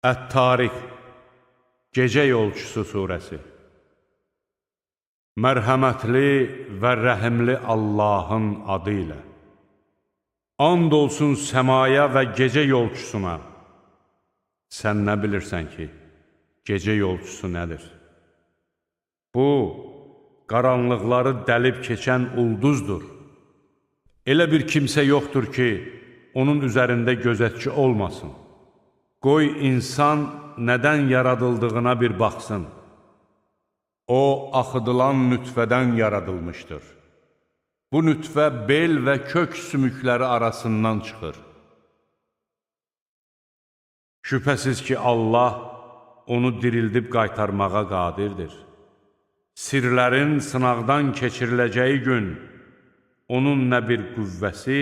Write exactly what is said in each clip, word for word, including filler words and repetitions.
Ət-Tariq, Gecə Yolçusu surəsi. Mərhəmətli və rəhimli Allahın adı ilə. And olsun səmaya və gecə yolçusuna. Sən nə bilirsən ki, gecə yolçusu nədir? Bu, qaranlıqları dəlib keçən ulduzdur. Elə bir kimsə yoxdur ki, onun üzərində gözətçi olmasın. Qoy insan nədən yaradıldığına bir baxsın. O, axıdılan nütfədən yaradılmışdır. Bu nütfə bel və kök sümükləri arasından çıxır. Şübhəsiz ki, Allah onu dirildib qaytarmağa qadirdir. Sirlərin sınaqdan keçiriləcəyi gün, onun nə bir qüvvəsi,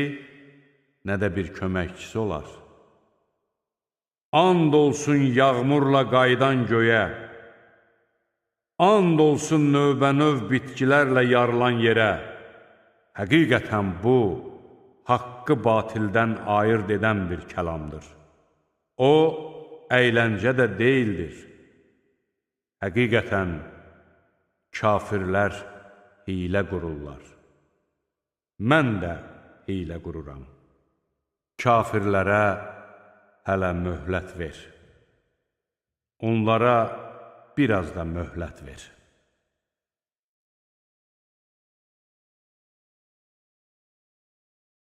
nə də bir köməkçisi olar. And olsun yağmurla qaydan göyə, and olsun növbənöv bitkilərlə yarılan yerə. Həqiqətən bu, haqqı batildən ayırt edən bir kəlamdır. O, əyləncə də deyildir. Həqiqətən, kafirlər hilə qururlar. Mən də hilə qururam. Kafirlərə hələ möhlət ver. Onlara biraz da möhlət ver.